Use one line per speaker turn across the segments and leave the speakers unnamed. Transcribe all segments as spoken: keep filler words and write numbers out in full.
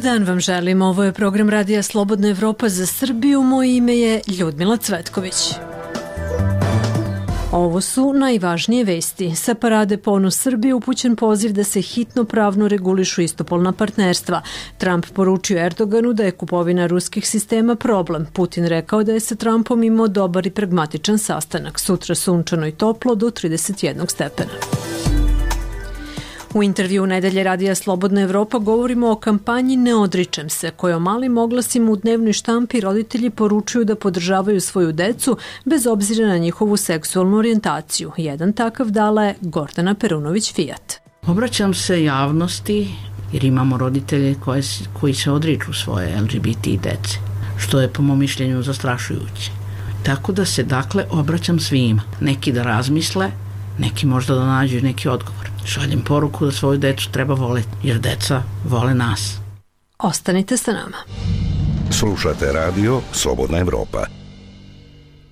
dan vam želim. Ovo je program Radija Slobodna Evropa za Srbiju. Moje ime je Ljudmila Cvetković. Ovo su najvažnije vesti. Sa parade Ponos Srbije upućen poziv da se hitno pravno regulišu istopolna partnerstva. Trump poručio Erdoganu da je kupovina ruskih sistema problem. Putin rekao da je sa Trumpom imao dobar i pragmatičan sastanak. Sutra sunčano i toplo do trideset jednog stepena. U intervju nedelje Radija Slobodna Evropa govorimo o kampanji Ne odričem se, kojom malim oglasima u dnevnoj štampi roditelji poručuju da podržavaju svoju decu bez obzira na njihovu seksualnu orijentaciju. Jedan takav dala je Gordana Perunović-Fijat.
Obraćam se javnosti jer imamo roditelje koje, koji se odriču svoje L G B T dece, što je po mom mišljenju zastrašujuće. Tako da se dakle obraćam svima. Neki da razmisle, neki možda da nađu neki odgovor. Šaljem poruku da svoju decu treba voleti, jer deca vole nas.
Ostanite sa nama.
Slušate radio Slobodna Evropa.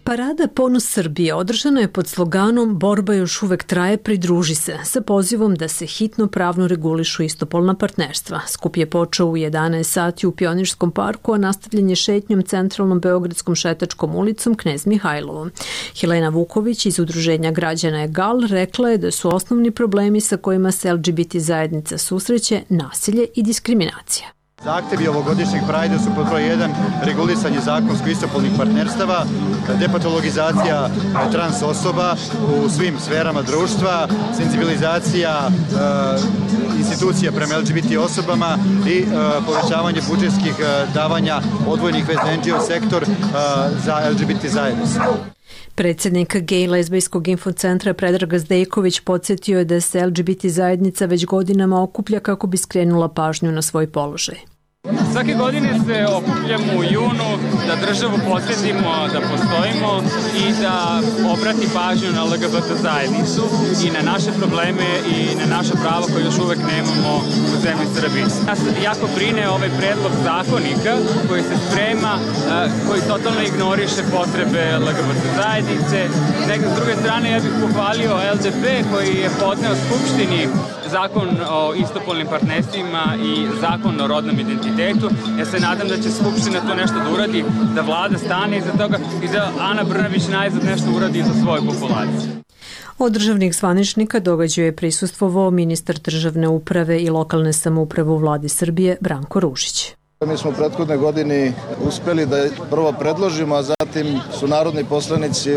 Parada Ponos Srbije održana je pod sloganom Borba još uvek traje, pridruži se, sa pozivom da se hitno pravno regulišu istopolna partnerstva. Skup je počeo u jedanaest sati u Pionirskom parku, a nastavljen je šetnjom centralnom beogradskom šetačkom ulicom Knez Mihajlovom. Helena Vuković iz Udruženja građana Egal rekla je da su osnovni problemi sa kojima se L G B T zajednica susreće nasilje i diskriminacija.
Zahtevi ovogodišnjeg Prajda su pod broj jedan regulisanje zakonsko istopolnih partnerstava, depatologizacija trans osoba u svim sferama društva, senzibilizacija e, institucija prema L G B T osobama i e, povećavanje budžetskih e, davanja odvojnih vez N G O sektor e, za L G B T zajednicu.
Predsjednik gej lezbijskog infocentra Predrag Zdejković podsjetio je da se L G B T zajednica već godinama okuplja kako bi skrenula pažnju na svoj položaj.
Svake godine se okupljamo u junu da državu podsjetimo da postojimo i da obrati pažnju na L G B T zajednicu i na naše probleme i na naša prava koje još uvek nemamo u zemlji Srbiji. Nas jako brine ovaj predlog zakonika koji se sprema, koji totalno ignoriše potrebe L G B T zajednice. Nek s druge strane ja bih pohvalio L D P koji je podneo Skupštini zakon o istopolnim partnerstvima i zakon o rodnom identitetu. Ja se nadam da će Skupština to nešto da uradi, da vlada stane iza toga i da Ana Brnabić najzad nešto uradi za svoju populaciju.
Od državnih zvaničnika događaju je prisustvovao ministar državne uprave i lokalne samouprave u vladi Srbije Branko Ružić.
Mi smo u prethodne godini uspeli da prvo predložimo, a zatim su narodni poslanici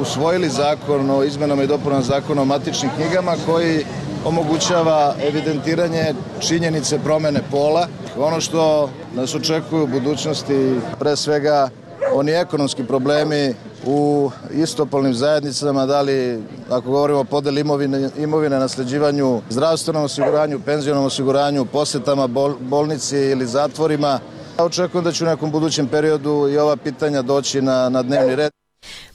usvojili zakon o izmenama i dopunama zakona o matičnim knjigama koji omogućava evidentiranje činjenice promene pola. Ono što nas očekuje u budućnosti, pre svega oni ekonomski problemi u istopolnim zajednicama, da li ako govorimo o podeli imovine, imovine, nasleđivanju, zdravstvenom osiguranju, penzionom osiguranju, posetama bol, bolnici ili zatvorima. Očekujem da će u nekom budućem periodu i ova pitanja doći na, na dnevni red.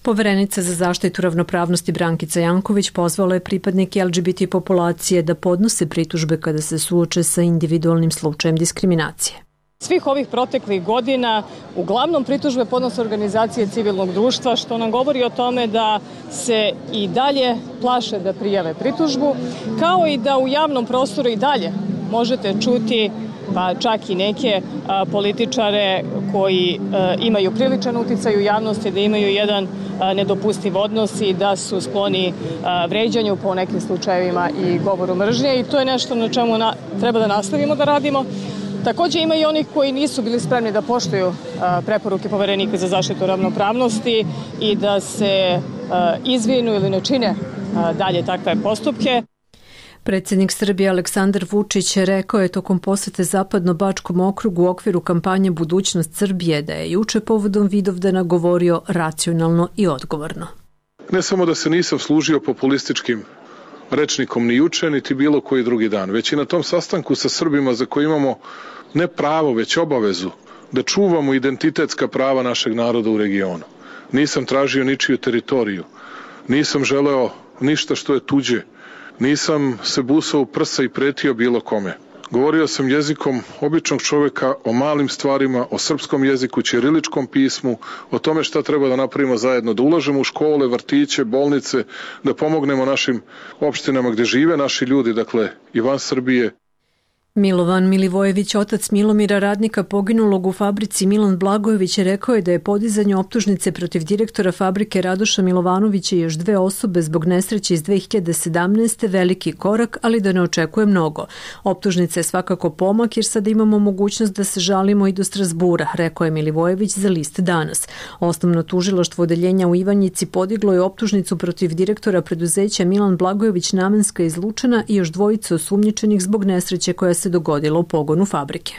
Poverenica za zaštitu ravnopravnosti Brankica Janković pozvala je pripadnike L G B T populacije da podnose pritužbe kada se suoče sa individualnim slučajem diskriminacije.
Svih ovih proteklih godina uglavnom pritužbe podnose organizacije civilnog društva, što nam govori o tome da se i dalje plaše da prijave pritužbu, kao i da u javnom prostoru i dalje možete čuti pa čak i neke a, političare koji a, imaju priličan uticaj u javnosti, da imaju jedan a, nedopustiv odnos i da su skloni a, vređanju po nekim slučajevima i govoru mržnje, i to je nešto na čemu na, treba da nastavimo da radimo. Takođe ima i onih koji nisu bili spremni da poštuju a, preporuke Poverenika za zaštitu ravnopravnosti i da se a, izvinu ili ne čine a, dalje takve postupke.
Predsjednik Srbije Aleksandar Vučić rekao je tokom posete Zapadno-Bačkom okrugu u okviru kampanje Budućnost Srbije da je juče povodom Vidovdana govorio racionalno i odgovorno.
Ne samo da se nisam služio populističkim rečnikom ni juče, niti bilo koji drugi dan, već i na tom sastanku sa Srbima za koje imamo ne pravo, već obavezu da čuvamo identitetska prava našeg naroda u regionu. Nisam tražio ničiju teritoriju, nisam želeo ništa što je tuđe, nisam se busao u prsa i pretio bilo kome. Govorio sam jezikom običnog čovjeka o malim stvarima, o srpskom jeziku, ćiriličkom pismu, o tome šta treba da napravimo zajedno, da ulažemo u škole, vrtiće, bolnice, da pomognemo našim opštinama gdje žive naši ljudi, dakle i van Srbije.
Milovan Milivojević, otac Milomira, radnika poginulog u fabrici Milan Blagojević, rekao je da je podizanje optužnice protiv direktora fabrike Radoša Milovanovića i još dve osobe zbog nesreće iz dve hiljade sedamnaeste. veliki korak, ali da ne očekuje mnogo. Optužnica je svakako pomak jer sada imamo mogućnost da se žalimo i do Strasbura, rekao je Milivojević za List danas. Osnovno tužilaštvo odeljenja u Ivanjici podiglo je optužnicu protiv direktora preduzeća Milan Blagojević Namenska iz Lučana i još dvojice osumnjičenih zbog nesreće koja se dogodila u pogonu fabrike.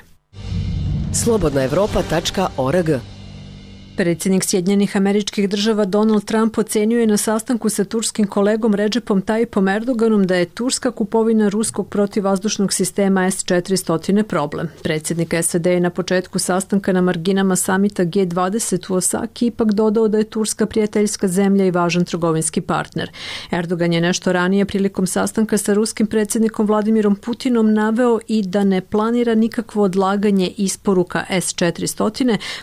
slobodna evropa tačka org.
Predsjednik Sjedinjenih Američkih Država Donald Trump ocenio je na sastanku sa turskim kolegom Redžepom Tayyipom Erdoganom da je turska kupovina ruskog protivvazdušnog sistema S četiristo problem. Predsjednik S A D je na početku sastanka na marginama samita G dvadeset u Osaki ipak dodao da je Turska prijateljska zemlja i važan trgovinski partner. Erdogan je nešto ranije prilikom sastanka sa ruskim predsjednikom Vladimirom Putinom naveo i da ne planira nikakvo odlaganje isporuka S četiristo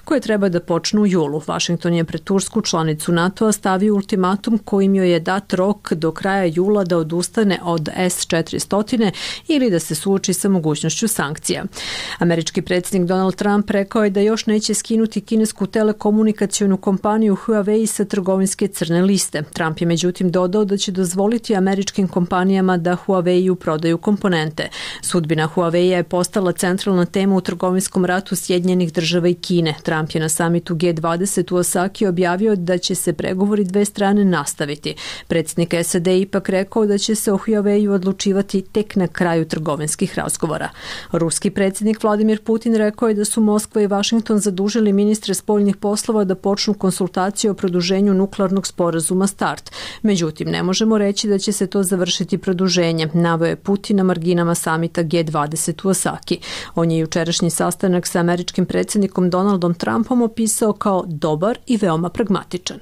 koje treba da počnu u julu. Washington je pred tursku članicu NATO-a stavio ultimatum kojim joj je dat rok do kraja jula da odustane od S četiristo ili da se suoči sa mogućnošću sankcija. Američki predsjednik Donald Trump rekao je da još neće skinuti kinesku telekomunikacionu kompaniju Huawei sa trgovinske crne liste. Trump je međutim dodao da će dozvoliti američkim kompanijama da Huawei-u prodaju komponente. Sudbina Huawei je postala centralna tema u trgovinskom ratu Sjedinjenih Država i Kine. Trump je na samitu G dvadeset u Osaki objavio da će se pregovori dve strane nastaviti. Predsjednik S A D ipak rekao da će se o Huawei-u odlučivati tek na kraju trgovinskih razgovora. Ruski predsjednik Vladimir Putin rekao je da su Moskva i Washington zadužili ministre spoljnih poslova da počnu konsultacije o produženju nuklearnog sporazuma START. Međutim, ne možemo reći da će se to završiti produženjem, naveo je Putin na marginama samita G dvadeset u Osaki. On je jučerašnji sastanak sa američkim predsjednikom Donaldom Trumpom opisao kao dobar i veoma pragmatičan.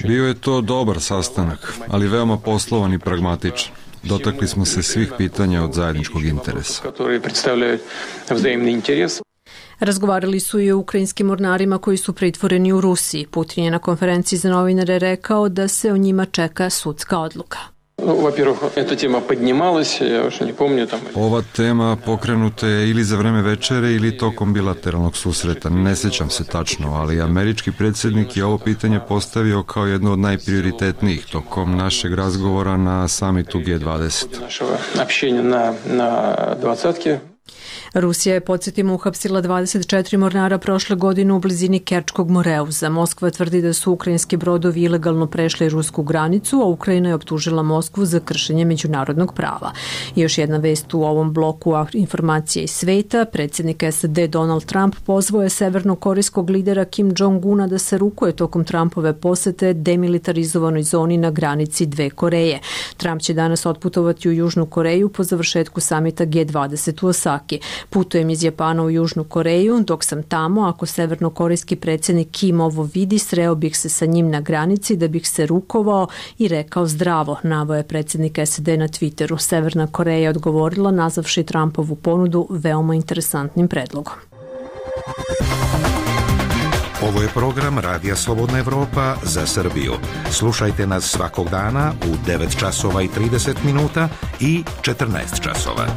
Bio je to dobar sastanak, ali veoma poslovan i pragmatičan. Dotakli smo se svih pitanja od zajedničkog interesa.
Razgovarali su i o ukrajinskim mornarima koji su pritvoreni u Rusiji. Putin je na konferenciji za novinare rekao da se o njima čeka sudska odluka.
Ova tema pokrenuta je ili za vreme večere ili tokom bilateralnog susreta. Ne sjećam se tačno, ali američki predsjednik je ovo pitanje postavio kao jedno od najprioritetnijih tokom našeg razgovora na samitu G dvadeset.
Rusija je, podsjetimo, uhapsila dvadeset četiri mornara prošle godine u blizini Kerčkog moreuza. Moskva tvrdi da su ukrajinski brodovi ilegalno prešli rusku granicu, a Ukrajina je optužila Moskvu za kršenje međunarodnog prava. I još jedna vest u ovom bloku informacije iz sveta. Predsjednik S A D Donald Trump pozvao je severnokorejskog lidera Kim Jong-una da se rukuje tokom Trumpove posete demilitarizovanoj zoni na granici dve Koreje. Trump će danas otputovati u Južnu Koreju po završetku samita G dvadeset u Osaki. Putujem iz Japana u Južnu Koreju, dok sam tamo, ako severnokorejski predsjednik Kim ovo vidi, sreo bih se sa njim na granici da bih se rukovao i rekao zdravo, naveo je predsjednik S A D na Twitteru. Severna Koreja je odgovorila nazavši Trumpovu ponudu veoma interesantnim predlogom.
Ovo je program Radija Slobodna Evropa za Srbiju. Slušajte nas svakog dana u devet časova i trideset minuta i četrnaest časova.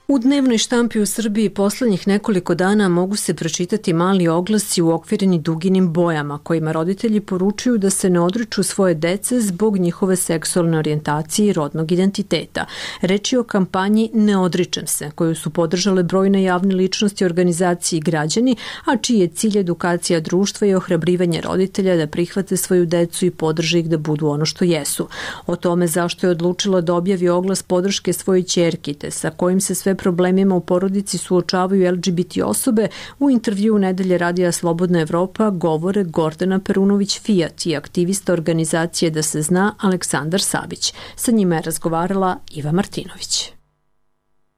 U dnevnoj štampi u Srbiji poslednjih nekoliko dana mogu se pročitati mali oglasi uokvireni duginim bojama kojima roditelji poručuju da se ne odriču svoje dece zbog njihove seksualne orijentacije i rodnog identiteta. Reč je o kampanji Ne odričem se, koju su podržale brojne javne ličnosti, organizacije i građani, a čiji je cilj edukacija društva i ohrabrivanje roditelja da prihvate svoju decu i podrže ih da budu ono što jesu. O tome zašto je odlučila da objavi oglas podrške svojoj ćerki, te sa kojim se sve problemima u porodici suočavaju L G B T osobe, u intervju Nedelje radija Slobodna Evropa govore Gordana Perunović-Fijat i aktivista organizacije Da se zna Aleksandar Savić. Sa njima je razgovarala Iva Martinović.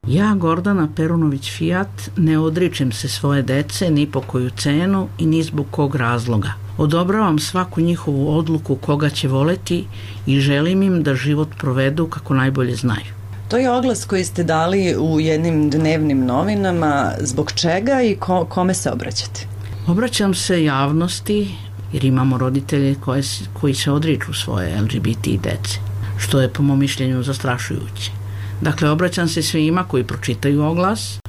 Ja, Gordana Perunović-Fijat, ne odričem se svoje dece ni po koju cenu i ni zbog kog razloga. Odobravam svaku njihovu odluku koga će voleti i želim im da život provedu kako najbolje znaju.
To je oglas koji ste dali u jednim dnevnim novinama. Zbog čega i ko, kome se obraćate?
Obraćam se javnosti jer imamo roditelje koje, koji se odriču svoje L G B T dece, što je po mom mišljenju zastrašujuće. Dakle, obraćam se svima koji pročitaju oglas,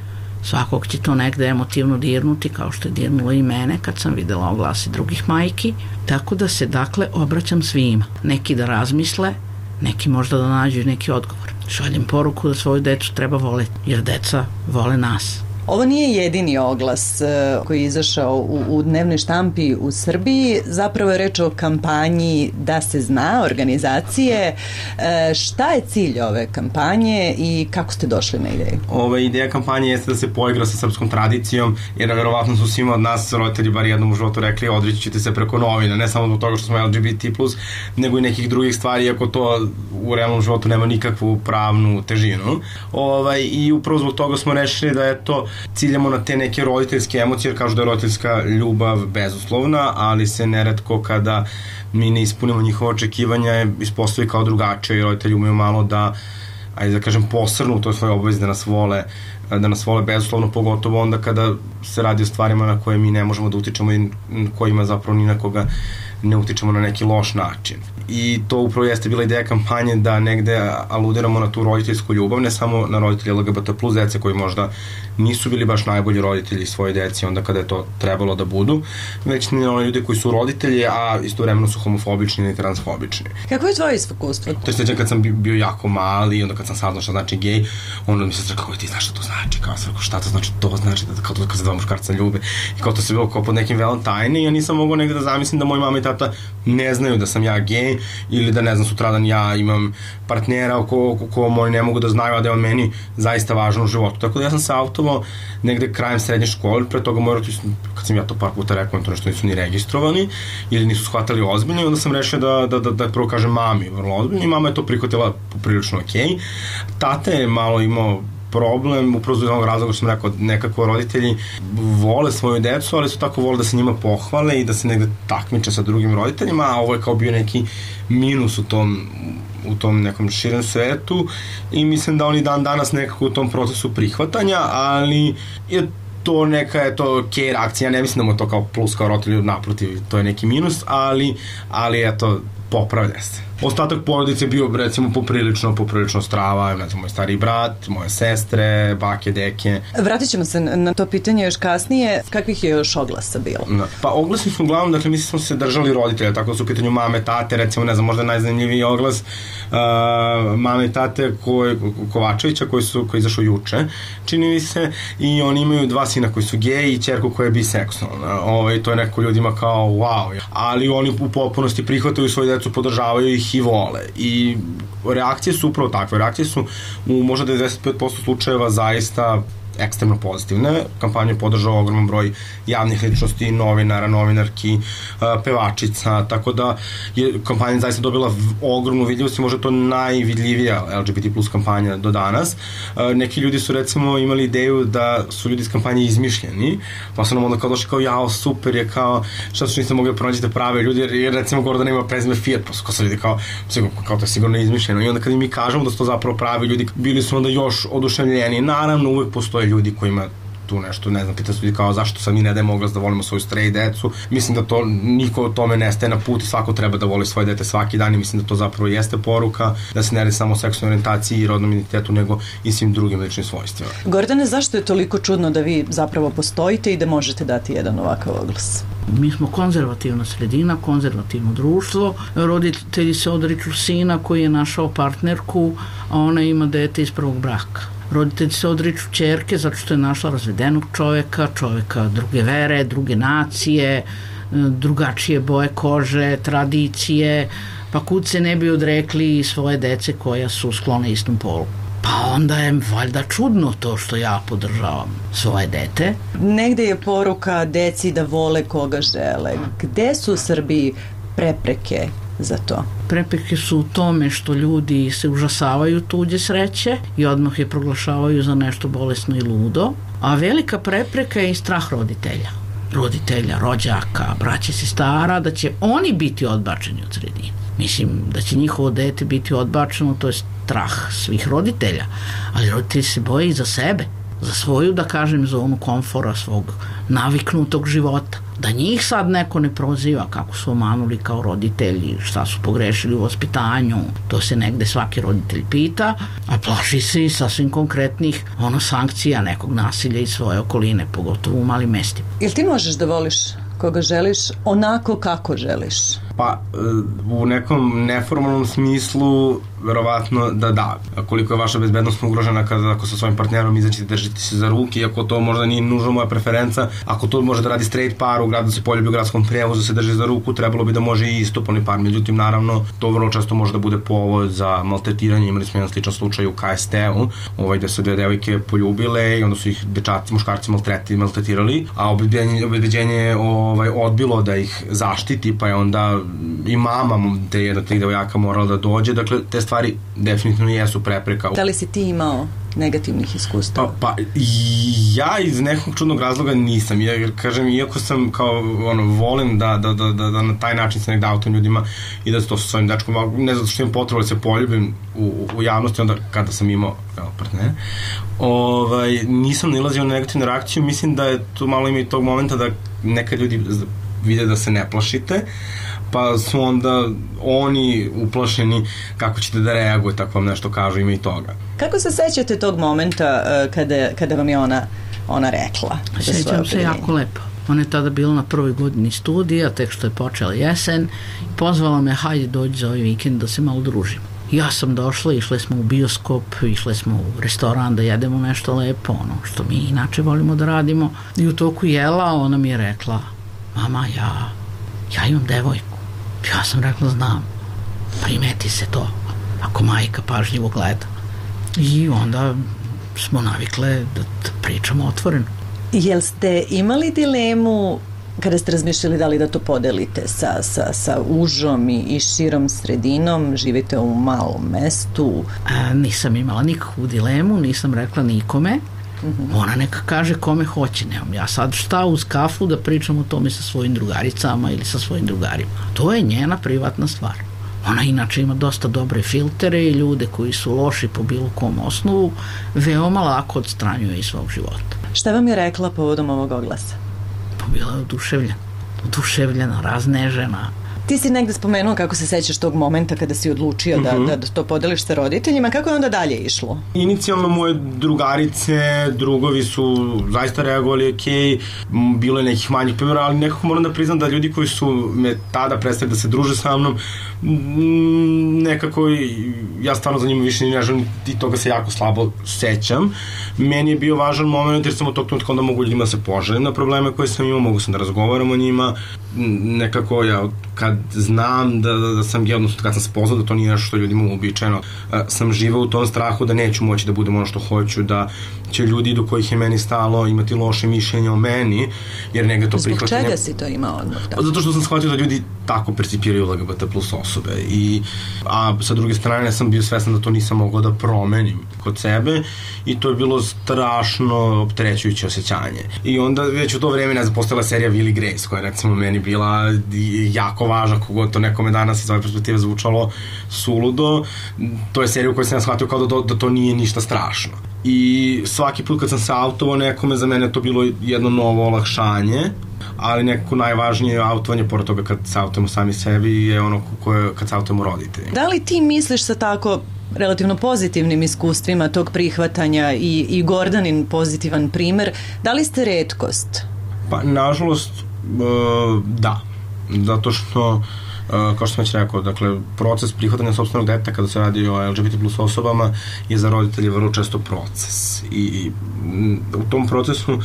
svakog će to negde emotivno dirnuti, kao što je dirnulo i mene kad sam videla oglasi drugih majki, tako da se, dakle, obraćam svima. Neki da razmisle, neki možda da nađu neki odgovor. Šaljem poruku da svoju decu treba voleti, jer deca vole nas.
Ovo nije jedini oglas koji je izašao u, u dnevnoj štampi u Srbiji. Zapravo je reč o kampanji Da se zna, organizacije. Šta je cilj ove kampanje i kako ste došli na ideju?
Ova ideja kampanje jeste da se poigra sa srpskom tradicijom, jer verovatno su svima od nas roditelji bar jednom u životu rekli odreći ćete se preko novina, ne samo zbog toga što smo L G B T plus, nego i nekih drugih stvari, iako to u realnom životu nema nikakvu pravnu težinu. Ovaj, I upravo zbog toga smo rešili da je to ciljamo na te neke roditeljske emocije, jer kažu da je roditeljska ljubav bezuslovna, ali se neretko kada mi ne ispunimo njihova očekivanja ispostavi kao drugačije i roditelji umeju malo da, ajde da kažem, posrnu u toj svojoj obavezi da nas vole, da nas vole bezuslovno, pogotovo onda kada se radi o stvarima na koje mi ne možemo da utičemo i kojima zapravo ni na koga ne utičemo na neki loš način. I to upravo jeste bila ideja kampanje da negde aludiramo na tu roditeljsku ljubav, ne samo na roditelji L G B T plus dece koji možda nisu bili baš najbolji roditelji svoje deci onda kada je to trebalo da budu, već na one ljudi koji su roditelji, a istovremeno su homofobični ili transfobični.
Kako je tvoje iskustvo?
To je sveđan kad sam bio jako mali i onda kad sam saznao šta znači gej, onda mi se rekao, ti znaš šta to znači, kao sam rekao, šta to znači, to znači da kao to kad se dva muškarca ljube i kao to se bilo kao pod nekim velom tajne i ja nisam mogao negde da zamislim da moji mama i tata ne znaju da sam ja gej ili da ne znam sutradan ja imam partnera o ko, ko, ko oni ne mogu da znaju, a da je on meni zaista važan u životu. Tako da ja sam se autovao negde krajem srednje škole, pre toga moji roditelji, kad sam ja to par puta rekao, to nešto nisu ni registrovani ili nisu shvatali ozbiljno i onda sam rešio da, da, da, da prvo kažem mami vrlo ozbiljno i mama je to prihvatila prilično okej. Tata je malo imao problem, upravo iz onog razloga što sam rekao, nekako roditelji vole svoju decu, ali su tako vole da se njima pohvale i da se negde takmiče sa drugim roditeljima, a ovo je kao bio neki minus u tom, u tom nekom širem svetu i mislim da oni dan danas nekako u tom procesu prihvatanja, ali je to neka je to okej reakcija, ne mislim da mu to kao plus kao roditelju, naprotiv, to je neki minus, ali, ali eto, popravlja se. Ostatak porodice je bio, recimo, poprilično, poprilično strava, ne znam, moj stari brat, moje sestre, bake, deke.
Vratit ćemo se na to pitanje još kasnije. Kakvih je još oglasa bilo?
Da. Pa oglasi su uglavnom, dakle, mi smo se držali roditelja, tako da su u pitanju mame, tate, recimo, ne znam, možda najzanimljiviji oglas uh, mame i tate koji, Kovačevića, koji su, koji izašao juče, čini mi se, i oni imaju dva sina koji su geji i ćerku koja je biseksualna. Ovaj, to je neko ljudima kao wow, ali oni u potpunosti prihvataju svoju decu, podržavaju ih i vole. I reakcije su upravo takve. Reakcije su u možda devedeset pet posto slučajeva zaista ekstremno pozitivne. Kampanju je podržao ogroman broj javnih ličnosti, novinara, novinarki, pevačica, tako da je kampanja zaista dobila ogromnu vidljivost i možda to najvidljivija L G B T plus kampanja do danas. Neki ljudi su recimo imali ideju da su ljudi iz kampanje izmišljeni, pa su nam onda kao došli kao jao, super je, kao šta su niste mogli da pronađete prave ljudi, jer recimo Gordana ima prezime Fiat, pa su kao sad ljudi kao, kao to je sigurno izmišljeno i onda kad mi kažemo da su to zapravo pravi ljudi, bili su onda još oduševljeni. Naravno, uvek postoje ljudi kojima tu nešto, ne znam, pita se ljudi kao zašto sam mi ne dajem oglas da volimo svoju stray decu. Mislim da to, niko o tome ne staje na put i svako treba da voli svoje dete svaki dan i mislim da to zapravo jeste poruka, da se ne radi samo o seksualnoj orijentaciji i rodnom identitetu, nego i svim drugim ličnim svojstvima.
Gordane, zašto je toliko čudno da vi zapravo postojite i da možete dati jedan ovakav oglas?
Mi smo konzervativna sredina, konzervativno društvo. Roditelji se odriču sina koji je našao partnerku, a ona ima dete iz prvog braka. Roditelji se odriču ćerke zato što je našla razvedenog čoveka, čoveka druge vere, druge nacije, drugačije boje kože, tradicije, pa kud se ne bi odrekli svoje dece koja su sklone istom polu. Pa onda je valjda čudno to što ja podržavam svoje dete.
Negde je poruka deci da vole koga žele. Gde su u Srbiji prepreke za to?
Prepreke su u tome što ljudi se užasavaju tuđe sreće i odmah je proglašavaju za nešto bolesno i ludo, a velika prepreka je i strah roditelja. Roditelja, rođaka, braće, sestara, da će oni biti odbačeni od sredine. Mislim da će njihovo dete biti odbačeno, to je strah svih roditelja, ali roditelji se boje i za sebe, za svoju, da kažem, zonu komfora, svog naviknutog života. Da njih sad neko ne proziva kako su omanuli kao roditelji, šta su pogrešili u vaspitanju, to se negde svaki roditelj pita, a plaši se i sasvim konkretnih ono sankcija nekog nasilja iz svoje okoline, pogotovo u malim mestima.
Jel ti možeš da voliš koga želiš onako kako želiš?
Pa, u nekom neformalnom smislu, verovatno da da. Koliko je vaša bezbednost ugrožena kada ako sa svojim partnerom izađete držite se za ruke, iako to možda nije nužno moja preferenca, ako to može da radi straight par u gradu, da se poljubi u gradskom prevozu, se drži za ruku, trebalo bi da može i istopolni par. Međutim, naravno, to vrlo često može da bude povod za maltretiranje. Imali smo jedan sličan slučaj u K S T-u, ovaj, gde su dve devojke poljubile i onda su ih dečaci, muškarci maltretirali, a obezbeđenje je ovaj, odbilo da ih zaštiti, pa je onda i mama te jedna tih devojaka morala da dođe. Dakle, te stvari definitivno jesu prepreka.
Da li si ti imao negativnih iskustava?
Pa, pa ja iz nekog čudnog razloga nisam. Ja, kažem, iako sam kao, ono, volim da, da, da, da, da na taj način se negde autom ljudima i da to sa svojim dečkom, ne zato što imam potrebu da se poljubim u, u javnosti, onda kada sam imao evo, partner, ovaj, nisam nalazio na negativnu reakciju. Mislim da je tu malo ima i tog momenta da nekad ljudi vide da se ne plašite, pa su onda oni uplašeni kako ćete da reaguje, tako vam nešto kažu, ima i toga.
Kako se sećate tog momenta uh, kada, kada vam je ona, ona rekla?
Sećam se jako lepo. Ona je tada bila na prvoj godini studija, tek što je počela jesen, pozvala me, hajde dođi za ovaj vikend da se malo družimo. Ja sam došla, išle smo u bioskop, išle smo u restoran da jedemo nešto lepo, ono što mi inače volimo da radimo. I u toku jela ona mi je rekla, mama, ja, ja imam devojku. Ja sam rekla, znam, primeti se to, ako majka pažljivo gleda. I onda smo navikle da, da pričamo otvoreno.
Jel ste imali dilemu kada ste razmišljali da li da to podelite sa, sa, sa užom i, i širom sredinom, živite u malom mestu?
A, nisam imala nikakvu dilemu, nisam rekla nikome. Mm-hmm. Ona neka kaže kome hoće, nemam ja sad šta uz kafu da pričam o tome sa svojim drugaricama ili sa svojim drugarima. To je njena privatna stvar. Ona inače ima dosta dobre filtere i ljude koji su loši po bilo kom osnovu veoma lako odstranjuje iz svog života.
Šta vam je rekla povodom ovog oglasa?
Pa bila je oduševljena, oduševljena, raznežena.
Ti si negde spomenuo kako se sećaš tog momenta kada si odlučio da, uh-huh. da, da to podeliš sa roditeljima. Kako je onda dalje išlo?
Inicijalno moje drugarice, drugovi su zaista reagovali ok, bilo je nekih manjih primjera, ali nekako moram da priznam da ljudi koji su me tada prestali da se druže sa mnom, nekako ja stvarno za njima više ne želim i toga se jako slabo sećam. Meni je bio važan moment jer sam od tog trenutka onda mogu ljudima da se poželim na probleme koje sam imao, mogu sam da razgovaram o njima. Nekako ja kad znam da, da, da sam, odnosno kad sam spoznao da to nije nešto što ljudima uobičajeno, sam živeo u tom strahu da neću moći da budem ono što hoću, da će ljudi do kojih je meni stalo imati loše mišljenje o meni, jer negde to prihvatanje...
Zbog čega si to imao odmah? Da?
Zato što sam shvatio da ljudi tako percipiraju L G B T plus osobe, i, a sa druge strane sam bio svestan da to nisam mogao da promenim kod sebe i to je bilo strašno opterećujuće osjećanje. I onda već u to vreme, ne znam, postala serija Will i Grace, koja je recimo meni bila jako važna, kogod to nekome danas iz ove perspektive zvučalo suludo. To je serija u kojoj sam ja shvatio kao da, da to nije ništa strašno. I svaki put kad sam se autovao nekome, za mene to bilo jedno novo olakšanje, ali nekako najvažnije autovanje, pored toga kad se autujemo sami sebi, je ono koje, kad se autujemo roditelji.
Da li ti misliš sa tako relativno pozitivnim iskustvima tog prihvatanja i, i Gordanin pozitivan primer, da li ste retkost?
Pa, nažalost, da. Zato što, kao što sam već rekao, dakle, proces prihvatanja sopstvenog deteta kada se radi o L G B T plus osobama je za roditelje vrlo često proces. I, i u tom procesu,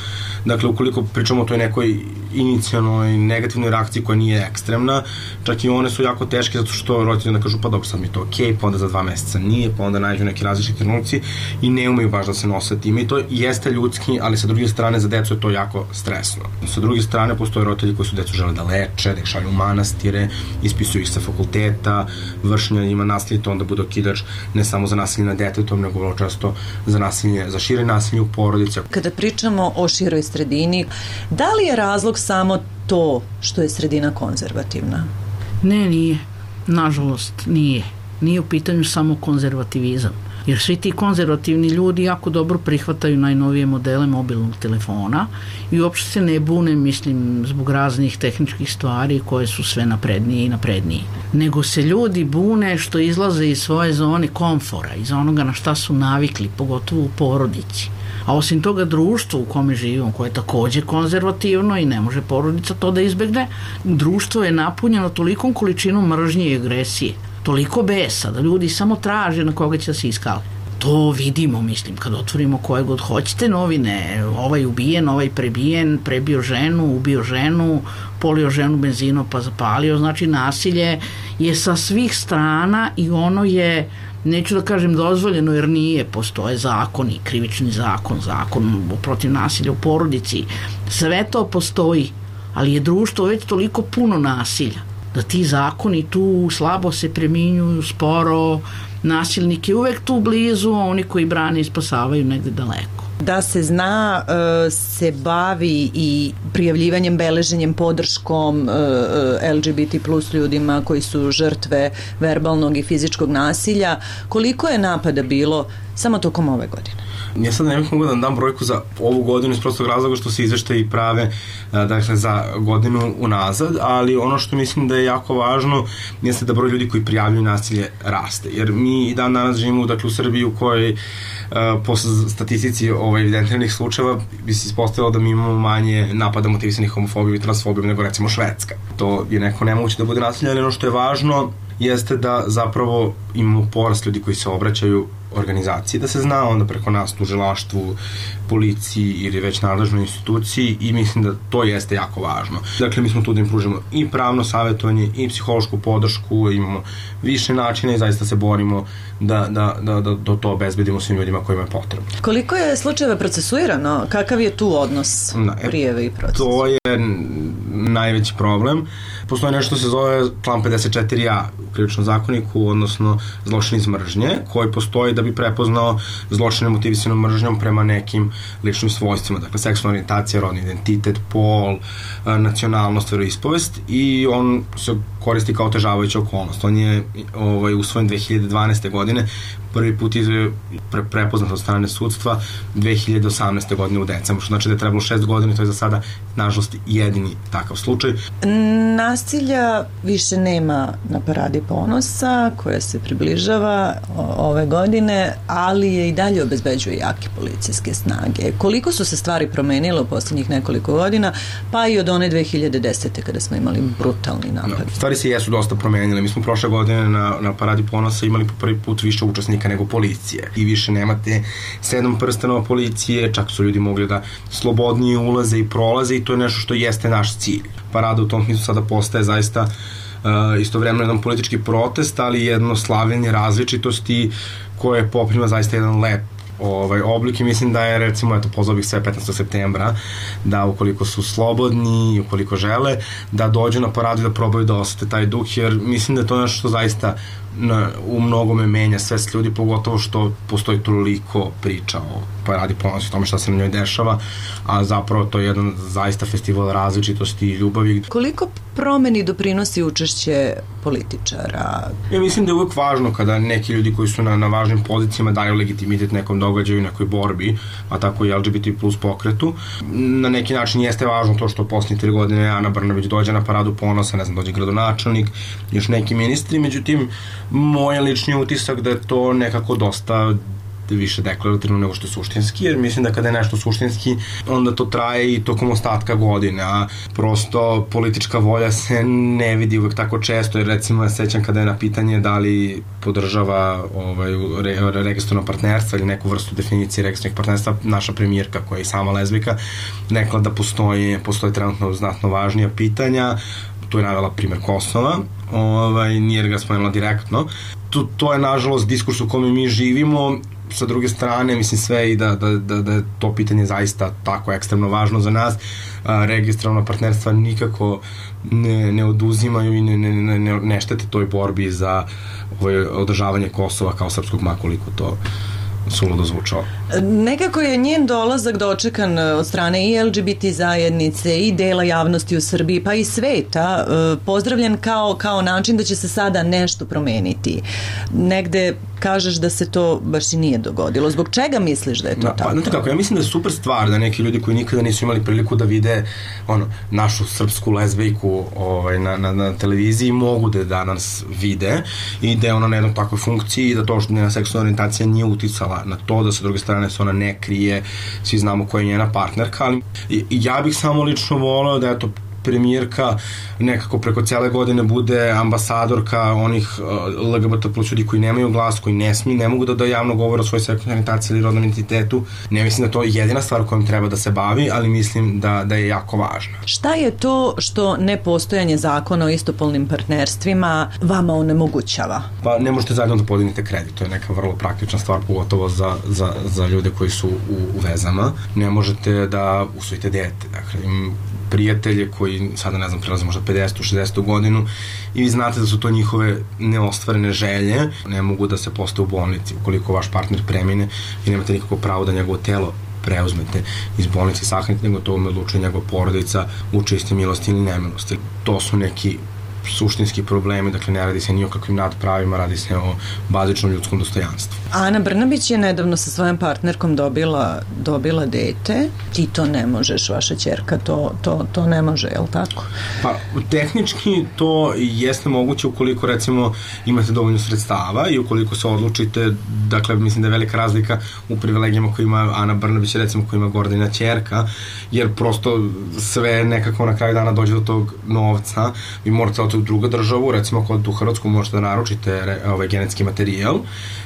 dakle, ukoliko pričamo o toj nekoj inicijalnoj negativnoj reakciji koja nije ekstremna, čak i one su jako teške zato što roditelji onda kažu pa dobro, sad mi je to okej, pa onda za dva meseca nije, pa onda nađu neki različiti trenutci i ne umeju baš da se nose time i to jeste ljudski, ali sa druge strane za decu je to jako stresno. Sa druge strane postoje roditelji koji su decu žele da leče, da ih šalju u manastire, ispisuju ih sa fakulteta, vršnja ima nasilje, to onda bude okidač ne samo za nasilje na detetom, nego vrlo često za nasilje, za šire nasilje u porodici.
Kada pričamo o široj sredini, da li je razlog samo to što je sredina konzervativna?
Ne, nije. Nažalost, nije. Nije u pitanju samo konzervativizam. Jer svi ti konzervativni ljudi jako dobro prihvataju najnovije modele mobilnog telefona i uopšte se ne bune, mislim, zbog raznih tehničkih stvari koje su sve naprednije i naprednije. Nego se ljudi bune što izlaze iz svoje zone komfora, iz onoga na šta su navikli, pogotovo u porodici. A osim toga društvo u kome živimo, koje je takođe konzervativno i ne može porodica to da izbegne, društvo je napunjeno tolikom količinom mržnje i agresije, toliko besa da ljudi samo traže na koga će da se iskale. To vidimo, mislim, kad otvorimo koje god hoćete novine, ovaj ubijen, ovaj prebijen, prebio ženu, ubio ženu, polio ženu benzinom pa zapalio, znači nasilje je sa svih strana i ono je, neću da kažem dozvoljeno jer nije, postoje zakoni, krivični zakon, zakon protiv nasilja u porodici, sve to postoji, ali je društvo već toliko puno nasilja da ti zakoni tu slabo se preminjuju, sporo, nasilnik je uvek tu blizu, a oni koji brane i spasavaju negde daleko.
Da se zna, se bavi i prijavljivanjem, beleženjem, podrškom L G B T plus ljudima koji su žrtve verbalnog i fizičkog nasilja. Koliko je napada bilo samo tokom ove godine?
Ja sad ne bih mogu da dam brojku za ovu godinu iz prostog razloga što se izveštaji prave dakle, za godinu unazad, ali ono što mislim da je jako važno jeste da broj ljudi koji prijavljuju nasilje raste, jer mi i dan danas živimo dakle, u Srbiji u kojoj po statistici ovaj, evidentiranih slučajeva bi se ispostavilo da mi imamo manje napada motivisanih homofobijom i transfobijom nego recimo Švedska. To je neko nemoguće da bude nasilje, ali ono što je važno jeste da zapravo imamo porast ljudi koji se obraćaju organizaciji, da se zna onda preko nas tužilaštvu, policiji ili već nadležnoj instituciji i mislim da to jeste jako važno. Dakle, mi smo tu da im pružimo i pravno savjetovanje i psihološku podršku, imamo više načina i zaista se borimo da, da, da, da, da to obezbedimo svim ljudima kojima je potrebno.
Koliko je slučajeva procesuirano? Kakav je tu odnos prijeve i procesa?
To je najveći problem. Postoji nešto što se zove član pedeset četiri a u krivičnom zakoniku, odnosno zločin iz mržnje, koji postoji da bi prepoznao zločine motivisanom mržnjom prema nekim ličnim svojstvima, dakle seksualna orijentacija, rodni identitet, pol, nacionalnost, veroispovest i on se koristi kao otežavajuća okolnost. On je ovaj, usvojen dve hiljade dvanaeste. godine, prvi put je pre, prepoznat od strane sudstva dve hiljade osamnaeste. godine u decembru, što znači da je trebalo šest godina i to je za sada, nažalost, jedini takav slučaj.
Nasilja više nema na Paradi ponosa, koja se približava ove godine, ali je i dalje obezbeđuje jake policijske snage. Koliko su se stvari promenile u posljednjih nekoliko godina, pa i od one dve hiljade desete. kada smo imali brutalni napad?
No, stvari se jesu dosta promenile. Mi smo prošle godine na, na Paradi ponosa imali po prvi put više učesnika nego policije i više nemate sedam prstenova policije, čak su ljudi mogli da slobodnije ulaze i prolaze i to je nešto što jeste naš cilj. Parada u tom smislu sada postaje zaista uh, istovremeno jedan politički protest, ali jedno slavljenje različitosti koje poprima zaista jedan lep ovaj oblik i mislim da je recimo, eto, pozvao bih sve petnaestog septembra da ukoliko su slobodni i ukoliko žele da dođu na paradu i da probaju da osete taj duh, jer mislim da je to nešto što zaista na, u mnogome menja svest ljudi, pogotovo što postoji toliko priča o Paradi ponosa, o tome šta se na njoj dešava, a zapravo to je jedan zaista festival različitosti i ljubavi.
Koliko promeni doprinosi učešće političara?
Ja mislim da je uvek važno kada neki ljudi koji su na, na važnim pozicijama daju legitimitet nekom događaju, nekoj borbi, a tako i L G B T plus pokretu. Na neki način jeste važno to što posljednje tri godine Ana Brnabić dođe na Paradu ponosa, ne znam, dođe gradonačelnik, još neki ministri, međutim, moj lični utisak da je to nekako dosta više deklarativno nego što je suštinski, jer mislim da kada je nešto suštinski, onda to traje i tokom ostatka godine, a prosto politička volja se ne vidi uvek tako često, jer recimo ja sećam kada je na pitanje da li podržava ovaj, re, registrovno partnerstvo ili neku vrstu definicije registrovanih partnerstva, naša premijerka koja je i sama lezbika, rekla da postoje, postoje trenutno znatno važnija pitanja, tu je navela primer Kosova, ovaj, nije ga spomenula direktno. To, to je nažalost diskurs u kome mi živimo, sa druge strane, mislim sve i da, da, da, da je to pitanje zaista tako ekstremno važno za nas. A, registrovna partnerstva nikako ne, ne oduzimaju i ne, ne, ne, ne štete toj borbi za ovaj, održavanje Kosova kao srpskog, makoliko to suludo zvučao.
Nekako je njen dolazak dočekan od strane i L G B T zajednice i dela javnosti u Srbiji, pa i sveta, pozdravljen kao, kao način da će se sada nešto promeniti. Negde kažeš da se to baš i nije dogodilo. Zbog čega misliš da je to
da,
tako?
Pa, znate kako, ja mislim da je super stvar da neki ljudi koji nikada nisu imali priliku da vide ono, našu srpsku lezbejku ovaj, na, na, na televiziji mogu da danas vide i da je ona na jednoj takvoj funkciji i da to što njena seksualna orijentacija nije uticala na to, da sa druge strane se ona ne krije, svi znamo koja je njena partnerka, ali i, ja bih samo lično voleo da je to premijerka nekako preko cele godine bude ambasadorka onih L G B T plus ljudi koji nemaju glas, koji ne smiju, ne mogu da da javno govore o svojoj seksualnoj orijentaciji ili rodnom identitetu. Ne mislim da to je jedina stvar kojom treba da se bavi, ali mislim da, da je jako važna.
Šta je to što nepostojanje zakona o istopolnim partnerstvima vama onemogućava?
Pa ne možete zajedno da podignete kredit, to je neka vrlo praktična stvar, pogotovo za, za, za ljude koji su u, u vezama. Ne možete da usvojite dete, dakle im prijatelje koji sada ne znam prelaze možda pedesetu šezdesetu godinu i vi znate da su to njihove neostvarene želje, ne mogu da se postave u bolnici. Ukoliko vaš partner premine, vi nemate nikako pravo da njegovo telo preuzmete iz bolnice i sahranite, nego to odlučuje njegova porodica u čistoj milosti ili nemilosti. To su neki suštinski problemi, dakle ne radi se ni o kakvim nadpravima, radi se o bazičnom ljudskom dostojanstvu.
Ana Brnabić je nedavno sa svojom partnerkom dobila, dobila dete. Ti to ne možeš, vaša ćerka to, to, to ne može, je li tako?
Pa, tehnički to jeste moguće ukoliko recimo imate dovoljno sredstava i ukoliko se odlučite, dakle mislim da je velika razlika u privilegijama koje ima Ana Brnabić, recimo koja ima Gordana ćerka, jer prosto sve nekako na kraju dana dođe do tog novca, vi morate u drugu državu, recimo kod u Hrvatsku možete da naručite ovaj genetski materijal,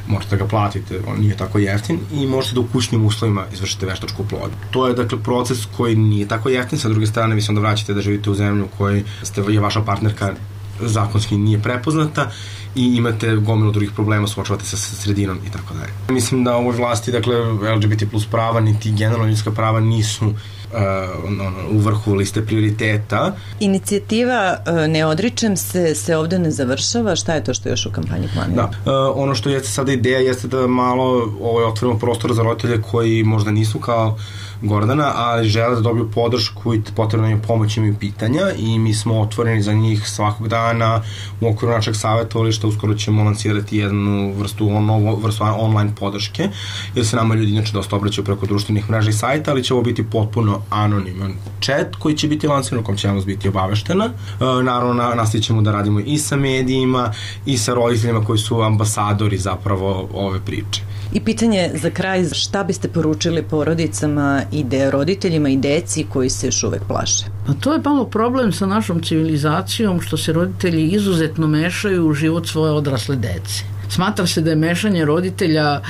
možete da ga platite, on nije tako jeftin i možete da u kućnim uslovima izvršite veštačku oplodnju. To je dakle proces koji nije tako jeftin, sa druge strane vi se onda vraćate da živite u zemlju u kojoj ste, je vaša partnerka zakonski nije prepoznata i imate gomilu drugih problema, suočavate se sa sredinom i tako dalje. Mislim da u ovoj vlasti, dakle, L G B T plus prava, niti generalno ljudska prava nisu Uh, ono, u vrhu liste prioriteta.
Inicijativa uh, Ne odričem se se ovde ne završava. Šta je to što još u kampanji planira?
Da, uh, ono što jeste sada ideja jeste da malo ovaj, otvorimo prostor za roditelje koji možda nisu kao Gordana, ali žele da dobiju podršku i potrebno im pomoć, imaju pitanja i mi smo otvoreni za njih svakog dana u okviru našeg savjetovališta. Uskoro ćemo lansirati jednu vrstu, novu vrstu online podrške, jer se nama ljudi inače dosta obraćaju preko društvenih mreža i sajta, ali će ovo biti potpuno anoniman chat koji će biti lansiran, u kom će javnost biti obaveštena. E, naravno, nastavit ćemo da radimo i sa medijima i sa roditeljima koji su ambasadori zapravo ove priče.
I pitanje za kraj, šta biste poručili porodicama i de, roditeljima i deci koji se još uvek plaše?
Pa to je malo problem sa našom civilizacijom, što se roditelji izuzetno mešaju u život svoje odrasle dece. Smatra se da je mešanje roditelja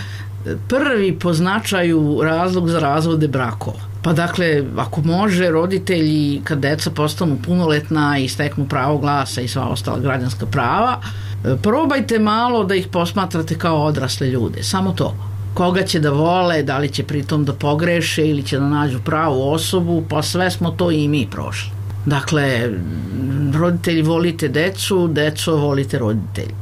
prvi po značaju razlog za razvode brakova. Pa dakle, ako može, roditelji kad deca postanu punoletna i steknu pravo glasa i sva ostala građanska prava, probajte malo da ih posmatrate kao odrasle ljude, samo to. Koga će da vole, da li će pritom da pogreše ili će da nađu pravu osobu, pa sve smo to i mi prošli. Dakle, roditelji volite decu, deco volite roditelji.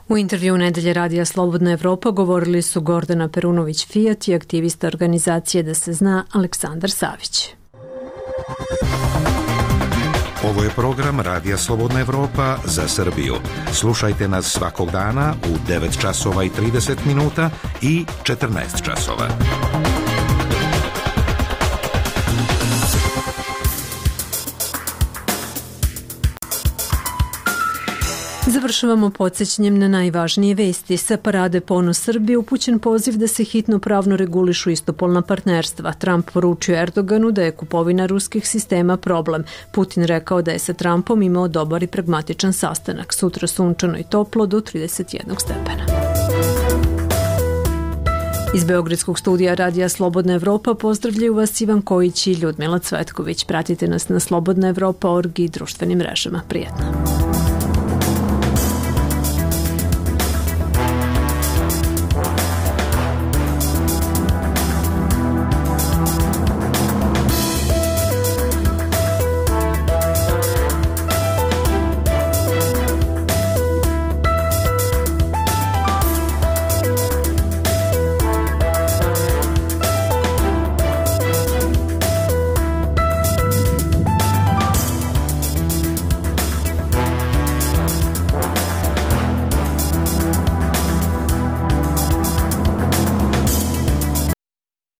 U intervju Nedelje radija Slobodna Evropa govorili su Gordana Perunović-Fijat i aktivista organizacije Da se zna Aleksandar Savić.
Ovo je program Radija Slobodna Evropa za Srbiju. Slušajte nas svakog dana u devet časova i trideset minuta i četrnaest časova.
Završavamo podsjećanjem na najvažnije vesti. Sa Parade Ponos Srbije upućen poziv da se hitno pravno regulišu istopolna partnerstva. Trump poručio Erdoganu da je kupovina ruskih sistema problem. Putin rekao da je sa Trumpom imao dobar i pragmatičan sastanak. Sutra sunčano i toplo do trideset jednog stepena. Iz Beogradskog studija Radija Slobodna Evropa pozdravljaju vas Ivan Kojić i Ljudmila Cvetković. Pratite nas na slobodna evropa tačka org i društvenim mrežama. Prijetno.